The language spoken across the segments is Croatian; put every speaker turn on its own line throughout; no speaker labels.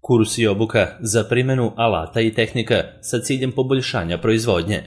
Kurs i obuka za primjenu alata i tehnika sa ciljem poboljšanja proizvodnje.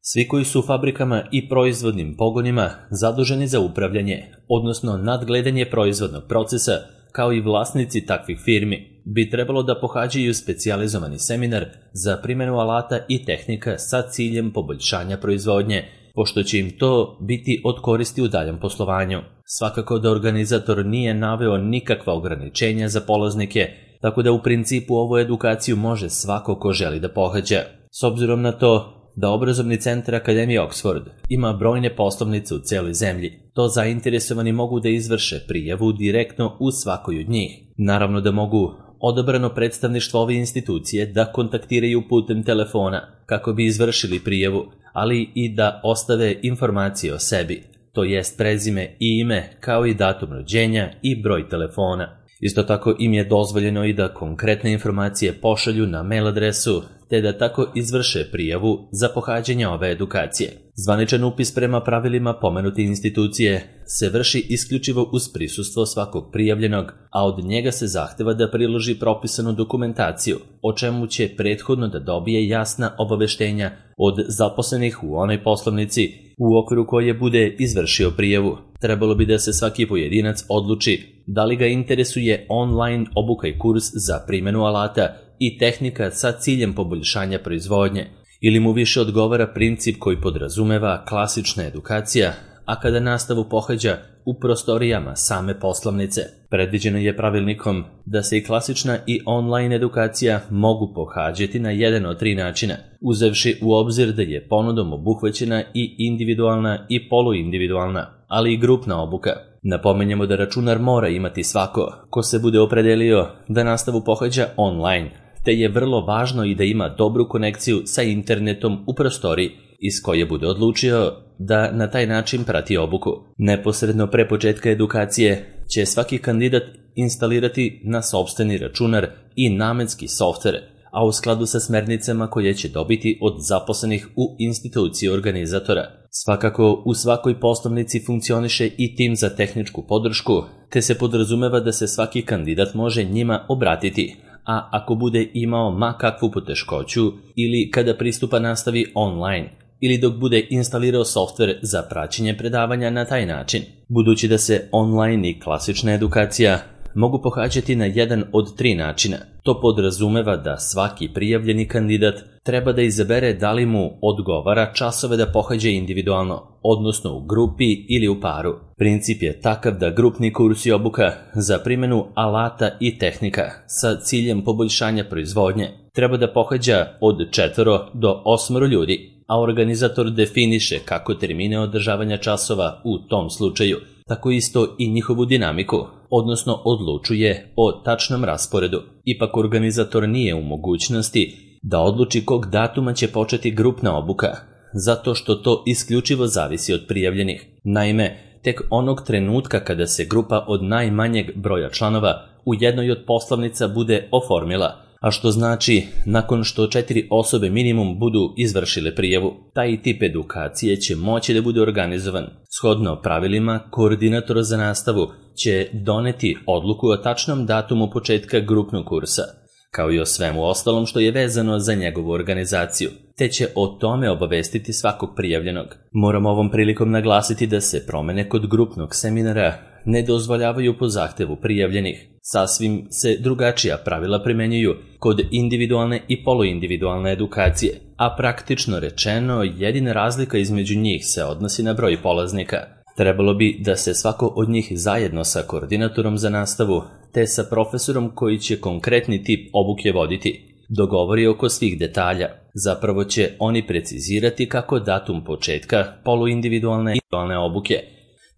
Svi koji su u fabrikama i proizvodnim pogonima zaduženi za upravljanje, odnosno nadgledanje proizvodnog procesa, kao i vlasnici takvih firmi, bi trebalo da pohađaju specijalizovani seminar za primjenu alata i tehnika sa ciljem poboljšanja proizvodnje, pošto će im to biti od koristi u daljem poslovanju. Svakako da organizator nije naveo nikakva ograničenja za polaznike, tako da u principu ovu edukaciju može svako ko želi da pohađa. S obzirom na to da obrazovni centar Akademije Oxford ima brojne poslovnice u celoj zemlji, to zainteresovani mogu da izvrše prijavu direktno u svakoj od njih. Naravno da mogu odabrano predstavništvo ove institucije da kontaktiraju putem telefona kako bi izvršili prijavu, ali i da ostave informacije o sebi, to jest prezime i ime, kao i datum rođenja i broj telefona. Isto tako im je dozvoljeno i da konkretne informacije pošalju na mail adresu, te da tako izvrše prijavu za pohađanje ove edukacije. Zvaničan upis prema pravilima pomenute institucije se vrši isključivo uz prisustvo svakog prijavljenog, a od njega se zahteva da priloži propisanu dokumentaciju, o čemu će prethodno da dobije jasna obaveštenja od zaposlenih u onoj poslovnici u okviru koje bude izvršio prijavu. Trebalo bi da se svaki pojedinac odluči da li ga interesuje online obuka i kurs za primjenu alata i tehnika sa ciljem poboljšanja proizvodnje, ili mu više odgovara princip koji podrazumeva klasična edukacija, a kada nastavu pohađa u prostorijama same poslovnice. Predviđeno je pravilnikom da se i klasična i online edukacija mogu pohađati na jedan od 3 načina, uzevši u obzir da je ponudom obuhvaćena i individualna i poluindividualna, ali i grupna obuka. Napomenjamo da računar mora imati svako ko se bude opredelio da nastavu pohađa online, te je vrlo važno i da ima dobru konekciju sa internetom u prostoriji iz koje bude odlučio da na taj način prati obuku. Neposredno pre početka edukacije će svaki kandidat instalirati na sopstveni računar i namenski softver, a u skladu sa smernicama koje će dobiti od zaposlenih u instituciji organizatora. Svakako, u svakoj poslovnici funkcioniše i tim za tehničku podršku, te se podrazumeva da se svaki kandidat može njima obratiti, a ako bude imao ma kakvu poteškoću ili kada pristupa nastavi online, ili dok bude instalirao softver za praćenje predavanja na taj način. Budući da se online i klasična edukacija mogu pohađati na jedan od 3 načina, to podrazumeva da svaki prijavljeni kandidat treba da izabere da li mu odgovara časove da pohađa individualno, odnosno u grupi ili u paru. Princip je takav da grupni kurs i obuka za primjenu alata i tehnika sa ciljem poboljšanja proizvodnje treba da pohađa od 4 do 8 ljudi, a organizator definiše kako termine održavanja časova u tom slučaju, tako isto i njihovu dinamiku, odnosno odlučuje o tačnom rasporedu. Ipak organizator nije u mogućnosti da odluči kog datuma će početi grupna obuka, zato što to isključivo zavisi od prijavljenih. Naime, tek onog trenutka kada se grupa od najmanjeg broja članova u jednoj od poslovnica bude oformila, a što znači nakon što 4 osobe minimum budu izvršile prijavu, taj tip edukacije će moći da bude organizovan. Shodno pravilima, koordinator za nastavu će doneti odluku o tačnom datumu početka grupnog kursa, kao i o svemu ostalom što je vezano za njegovu organizaciju, te će o tome obavestiti svakog prijavljenog. Moram ovom prilikom naglasiti da se promene kod grupnog seminara ne dozvoljavaju po zahtevu prijavljenih. Sasvim se drugačija pravila primenjuju kod individualne i poluindividualne edukacije, a praktično rečeno jedina razlika između njih se odnosi na broj polaznika. Trebalo bi da se svako od njih zajedno sa koordinatorom za nastavu te sa profesorom koji će konkretni tip obuke voditi dogovori oko svih detalja. Zapravo će oni precizirati kako datum početka poluindividualne i individualne obuke,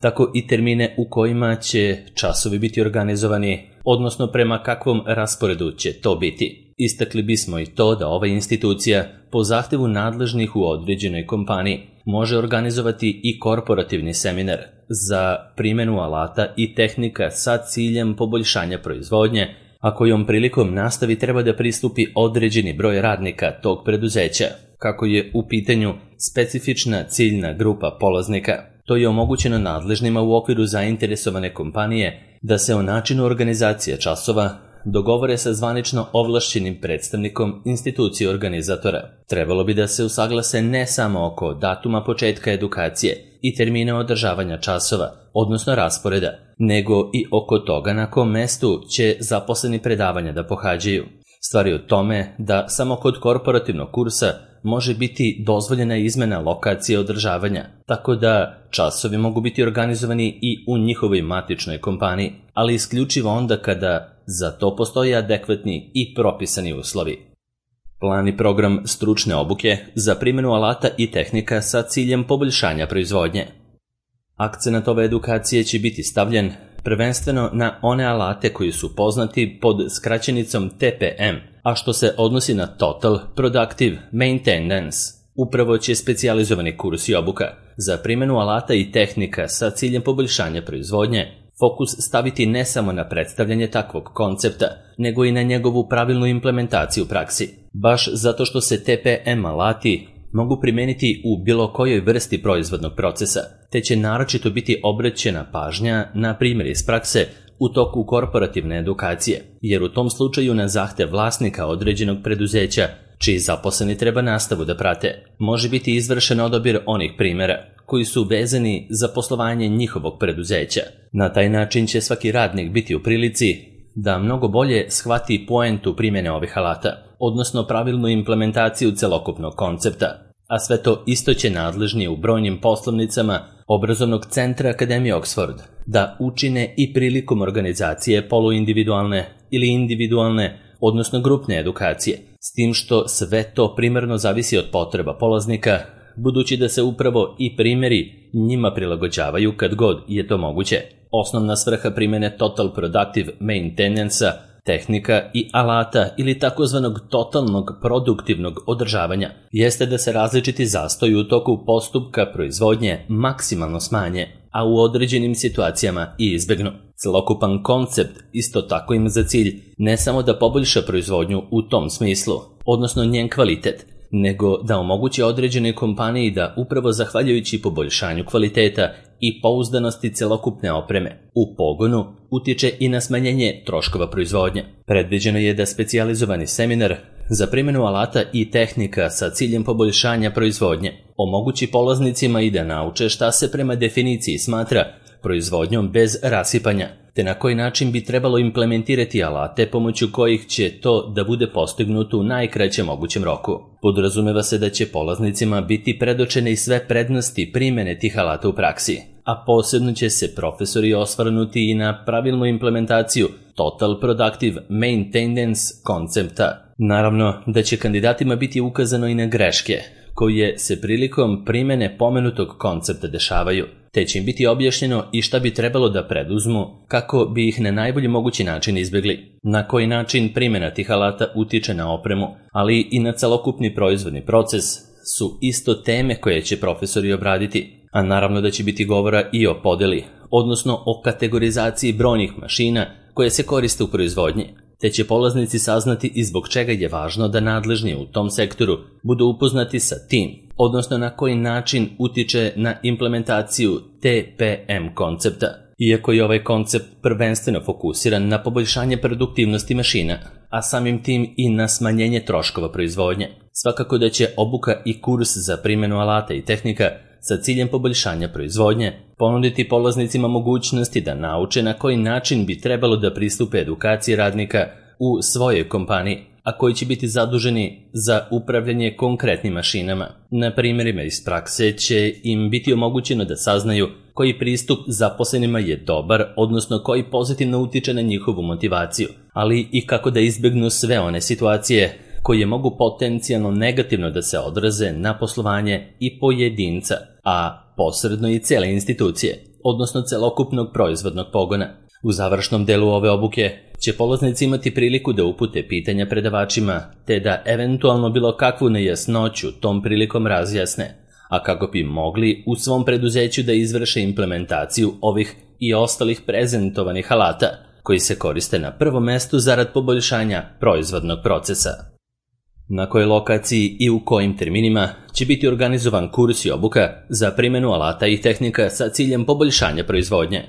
tako i termine u kojima će časovi biti organizovani, odnosno prema kakvom rasporedu će to biti. Istakli bismo i to da ova institucija po zahtevu nadležnih u određenoj kompaniji može organizovati i korporativni seminar za primjenu alata i tehnika sa ciljem poboljšanja proizvodnje, a kojom prilikom nastavi treba da pristupi određeni broj radnika tog preduzeća, kako je u pitanju specifična ciljna grupa polaznika. To je omogućeno nadležnima u okviru zainteresovane kompanije da se o načinu organizacije časova dogovore sa zvanično ovlašćenim predstavnikom institucije organizatora. Trebalo bi da se usaglase ne samo oko datuma početka edukacije i termina održavanja časova, odnosno rasporeda, nego i oko toga na kom mestu će zaposleni predavanja da pohađaju. Stvar je u tome da samo kod korporativnog kursa može biti dozvoljena izmena lokacije održavanja, tako da časovi mogu biti organizovani i u njihovoj matičnoj kompaniji, ali isključivo onda kada za to postoje adekvatni i propisani uslovi. Plan i program stručne obuke za primjenu alata i tehnika sa ciljem poboljšanja proizvodnje. Akcenat ove edukacije će biti stavljen prvenstveno na one alate koji su poznati pod skraćenicom TPM, a što se odnosi na Total Productive Maintenance. Upravo će specijalizovani kurs i obuka za primjenu alata i tehnika sa ciljem poboljšanja proizvodnje fokus staviti ne samo na predstavljanje takvog koncepta, nego i na njegovu pravilnu implementaciju u praksi. Baš zato što se TPM alati mogu primeniti u bilo kojoj vrsti proizvodnog procesa, te će naročito biti obraćena pažnja na primjer iz prakse u toku korporativne edukacije, jer u tom slučaju na zahtev vlasnika određenog preduzeća, čiji zaposleni treba nastavu da prate, može biti izvršen odabir onih primjera koji su vezani za poslovanje njihovog preduzeća. Na taj način će svaki radnik biti u prilici da mnogo bolje shvati poentu primjene ovih alata, odnosno pravilnu implementaciju celokupnog koncepta, a sve to isto će nadležni u brojnim poslovnicama obrazovnog centra Akademije Oxford da učine i prilikom organizacije poluindividualne ili individualne, odnosno grupne edukacije, s tim što sve to primarno zavisi od potreba polaznika, budući da se upravo i primjeri njima prilagođavaju kad god je to moguće. Osnovna svrha primjene Total Productive Maintenance-a, tehnika i alata ili takozvanog totalnog produktivnog održavanja jeste da se različiti zastoji u toku postupka proizvodnje maksimalno smanje, a u određenim situacijama i izbjegnu. Celokupan koncept isto tako ima za cilj ne samo da poboljša proizvodnju u tom smislu, odnosno njen kvalitet, nego da omogući određenoj kompaniji da upravo zahvaljujući poboljšanju kvaliteta i pouzdanosti celokupne opreme u pogonu utiče i na smanjenje troškova proizvodnje. Predviđeno je da specijalizovani seminar za primjenu alata i tehnika sa ciljem poboljšanja proizvodnje omogući polaznicima i da nauče šta se prema definiciji smatra proizvodnjom bez rasipanja, te na koji način bi trebalo implementirati alate pomoću kojih će to da bude postignuto u najkraćem mogućem roku. Podrazumeva se da će polaznicima biti predočene i sve prednosti primjene tih alata u praksi, a posebno će se profesori osvrnuti i na pravilnu implementaciju Total Productive Maintenance koncepta. Naravno da će kandidatima biti ukazano i na greške koje se prilikom primjene pomenutog koncepta dešavaju, te će im biti objašnjeno i šta bi trebalo da preduzmu kako bi ih na najbolji mogući način izbjegli. Na koji način primjena tih alata utiče na opremu, ali i na celokupni proizvodni proces su isto teme koje će profesori obraditi, a naravno da će biti govora i o podeli, odnosno o kategorizaciji brojnih mašina koje se koriste u proizvodnji, te će polaznici saznati i zbog čega je važno da nadležni u tom sektoru budu upoznati sa tim, odnosno na koji način utiče na implementaciju TPM koncepta. Iako je ovaj koncept prvenstveno fokusiran na poboljšanje produktivnosti mašina, a samim tim i na smanjenje troškova proizvodnje, svakako da će obuka i kurs za primjenu alata i tehnika sa ciljem poboljšanja proizvodnje ponuditi polaznicima mogućnosti da nauče na koji način bi trebalo da pristupe edukaciji radnika u svojoj kompaniji, a koji će biti zaduženi za upravljanje konkretnim mašinama. Na primjerima iz prakse će im biti omogućeno da saznaju koji pristup zaposlenima je dobar, odnosno koji pozitivno utiče na njihovu motivaciju, ali i kako da izbjegnu sve one situacije koje mogu potencijalno negativno da se odraze na poslovanje i pojedinca, a posredno i cijele institucije, odnosno celokupnog proizvodnog pogona. U završnom delu ove obuke će polaznici imati priliku da upute pitanja predavačima, te da eventualno bilo kakvu nejasnoću tom prilikom razjasne, a kako bi mogli u svom preduzeću da izvrše implementaciju ovih i ostalih prezentovanih alata, koji se koriste na prvom mestu zarad poboljšanja proizvodnog procesa. Na kojoj lokaciji i u kojim terminima će biti organizovan kurs i obuka za primjenu alata i tehnika sa ciljem poboljšanja proizvodnje.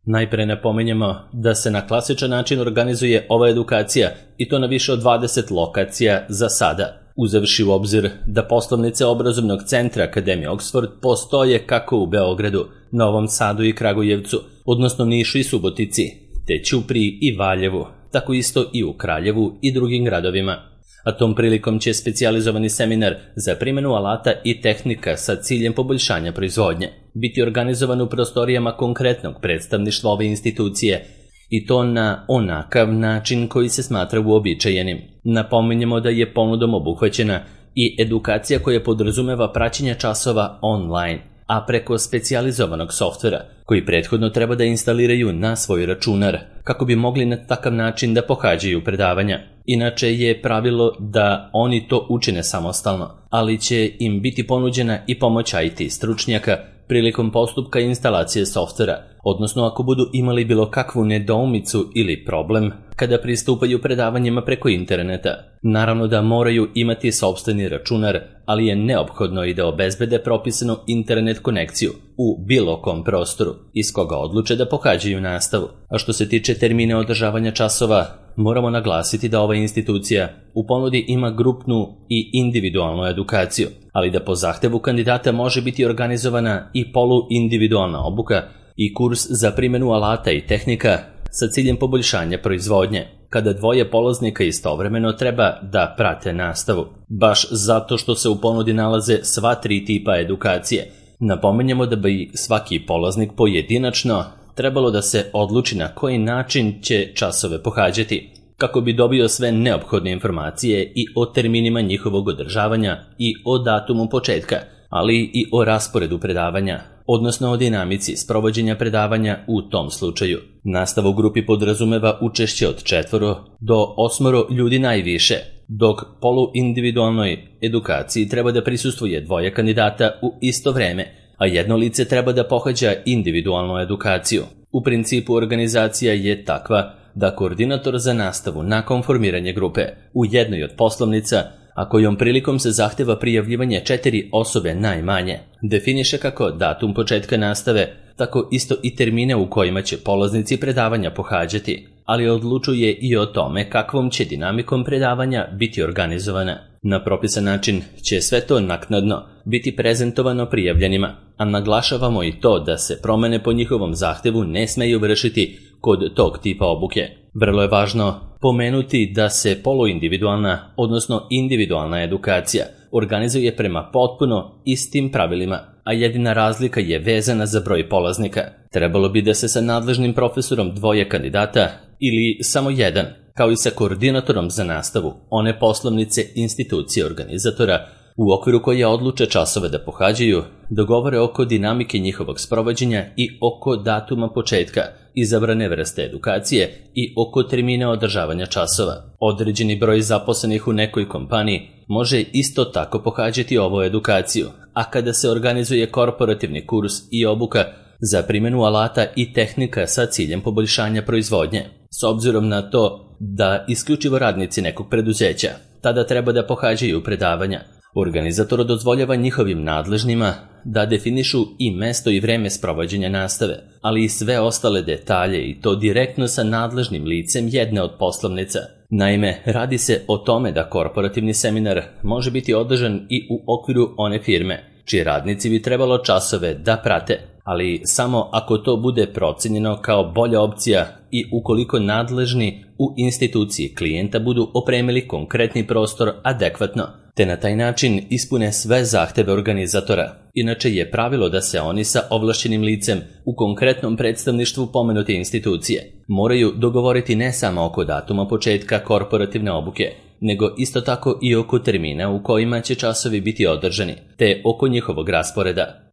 Najpre napominjemo da se na klasičan način organizuje ova edukacija i to na više od 20 lokacija za sada, uzevši u obzir da poslovnice obrazovnog centra Akademije Oxford postoje kako u Beogradu, Novom Sadu i Kragujevcu, odnosno Nišu i Subotici, te Ćupriji i Valjevu, tako isto i u Kraljevu i drugim gradovima. A tom prilikom će specijalizovani seminar za primjenu alata i tehnika sa ciljem poboljšanja proizvodnje biti organizovan u prostorijama konkretnog predstavništva ove institucije i to na onakav način koji se smatra uobičajenim. Napominjemo da je ponudom obuhvaćena i edukacija koja podrazumeva praćenje časova online, a preko specijalizovanog softvera koji prethodno treba da instaliraju na svoj računar kako bi mogli na takav način da pohađaju predavanja. Inače je pravilo da oni to učine samostalno, ali će im biti ponuđena i pomoć IT stručnjaka prilikom postupka instalacije softvera, odnosno ako budu imali bilo kakvu nedoumicu ili problem kada pristupaju predavanjima preko interneta. Naravno da moraju imati sopstveni računar, ali je neophodno i da obezbede propisanu internet konekciju u bilo kom prostoru iz koga odluče da pohađaju nastavu. A što se tiče termina održavanja časova, moramo naglasiti da ova institucija u ponudi ima grupnu i individualnu edukaciju, ali da po zahtevu kandidata može biti organizovana i poluindividualna obuka i kurs za primjenu alata i tehnika sa ciljem poboljšanja proizvodnje, kada dvoje polaznika istovremeno treba da prate nastavu, baš zato što se u ponudi nalaze sva tri tipa edukacije. Napominjemo da bi svaki polaznik pojedinačno trebalo da se odluči na koji način će časove pohađati, kako bi dobio sve neophodne informacije i o terminima njihovog održavanja i o datumu početka, ali i o rasporedu predavanja, odnosno o dinamici sprovođenja predavanja u tom slučaju. Nastava u grupi podrazumeva učešće od 4 do 8 ljudi najviše, dok poluindividualnoj edukaciji treba da prisustvuje 2 kandidata u isto vreme, a jedno lice treba da pohađa individualnu edukaciju. U principu organizacija je takva da koordinator za nastavu nakon formiranja grupe u jednoj od poslovnica, a kojom prilikom se zahteva prijavljivanje 4 osobe najmanje, definiše kako datum početka nastave, tako isto i termine u kojima će polaznici predavanja pohađati, ali odlučuje i o tome kakvom će dinamikom predavanja biti organizovana. Na propisan način će sve to naknadno biti prezentovano prijavljenima, a naglašavamo i to da se promene po njihovom zahtevu ne smeju vršiti kod tog tipa obuke. Vrlo je važno pomenuti da se poluindividualna, odnosno individualna edukacija organizuje prema potpuno istim pravilima, a jedina razlika je vezana za broj polaznika. Trebalo bi da se sa nadležnim profesorom 2 kandidata ili samo 1, kao i sa koordinatorom za nastavu, one poslovnice institucije organizatora u okviru koje odluče časove da pohađaju, dogovore oko dinamike njihovog sprovođenja i oko datuma početka, izabrane vrste edukacije i oko termina održavanja časova. Određeni broj zaposlenih u nekoj kompaniji može isto tako pohađati ovu edukaciju, a kada se organizuje korporativni kurs i obuka za primjenu alata i tehnika sa ciljem poboljšanja proizvodnje, s obzirom na to da isključivo radnici nekog preduzeća tada treba da pohađaju predavanja, organizator dozvoljava njihovim nadležnima da definišu i mesto i vreme sprovođenja nastave, ali i sve ostale detalje i to direktno sa nadležnim licem jedne od poslovnica. Naime, radi se o tome da korporativni seminar može biti održan i u okviru one firme, čiji radnici bi trebalo časove da prate, ali samo ako to bude procenjeno kao bolja opcija i ukoliko nadležni u instituciji klijenta budu opremili konkretni prostor adekvatno, te na taj način ispune sve zahteve organizatora. Inače je pravilo da se oni sa ovlašćenim licem u konkretnom predstavništvu pomenute institucije moraju dogovoriti ne samo oko datuma početka korporativne obuke, nego isto tako i oko termina u kojima će časovi biti održani, te oko njihovog rasporeda.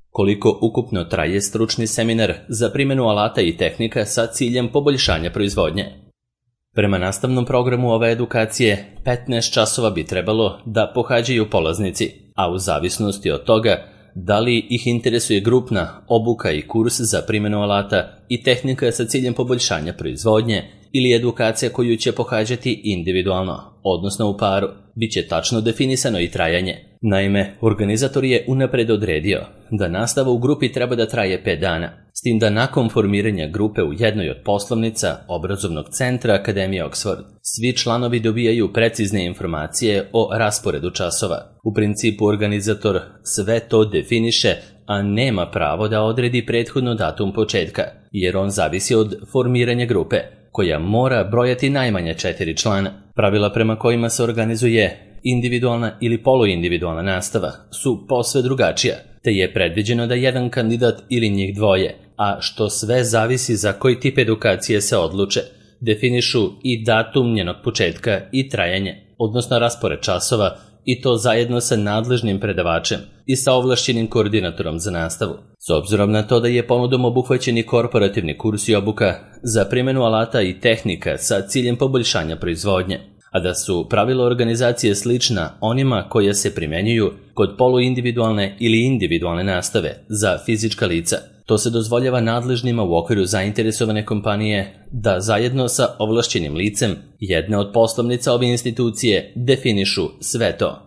Koliko ukupno traje stručni seminar za primjenu alata i tehnika sa ciljem poboljšanja proizvodnje? Prema nastavnom programu ove edukacije, 15 časova bi trebalo da pohađaju polaznici, a u zavisnosti od toga da li ih interesuje grupna obuka i kurs za primjenu alata i tehnika sa ciljem poboljšanja proizvodnje ili edukacija koju će pohađati individualno, odnosno u paru, bit će tačno definisano i trajanje. Naime, organizator je unapred odredio da nastava u grupi treba da traje 5 dana, s tim da nakon formiranja grupe u jednoj od poslovnica obrazovnog centra Akademije Oxford, svi članovi dobijaju precizne informacije o rasporedu časova. U principu organizator sve to definiše, a nema pravo da odredi prethodno datum početka, jer on zavisi od formiranja grupe, koja mora brojati najmanje 4 člana. Pravila prema kojima se organizuje individualna ili poluindividualna nastava su posve drugačija, te je predviđeno da jedan kandidat ili njih dvoje, a što sve zavisi za koji tip edukacije se odluče, definišu i datum njenog početka i trajanje, odnosno raspored časova, i to zajedno sa nadležnim predavačem i sa ovlašćenim koordinatorom za nastavu. S obzirom na to da je ponudom obuhvaćeni korporativni kurs i obuka za primjenu alata i tehnika sa ciljem poboljšanja proizvodnje, a da su pravila organizacije slična onima koje se primjenjuju kod poluindividualne ili individualne nastave za fizička lica, to se dozvoljava nadležnima u okviru zainteresovane kompanije da zajedno sa ovlašćenim licem jedne od poslovnica ove institucije definišu sve to.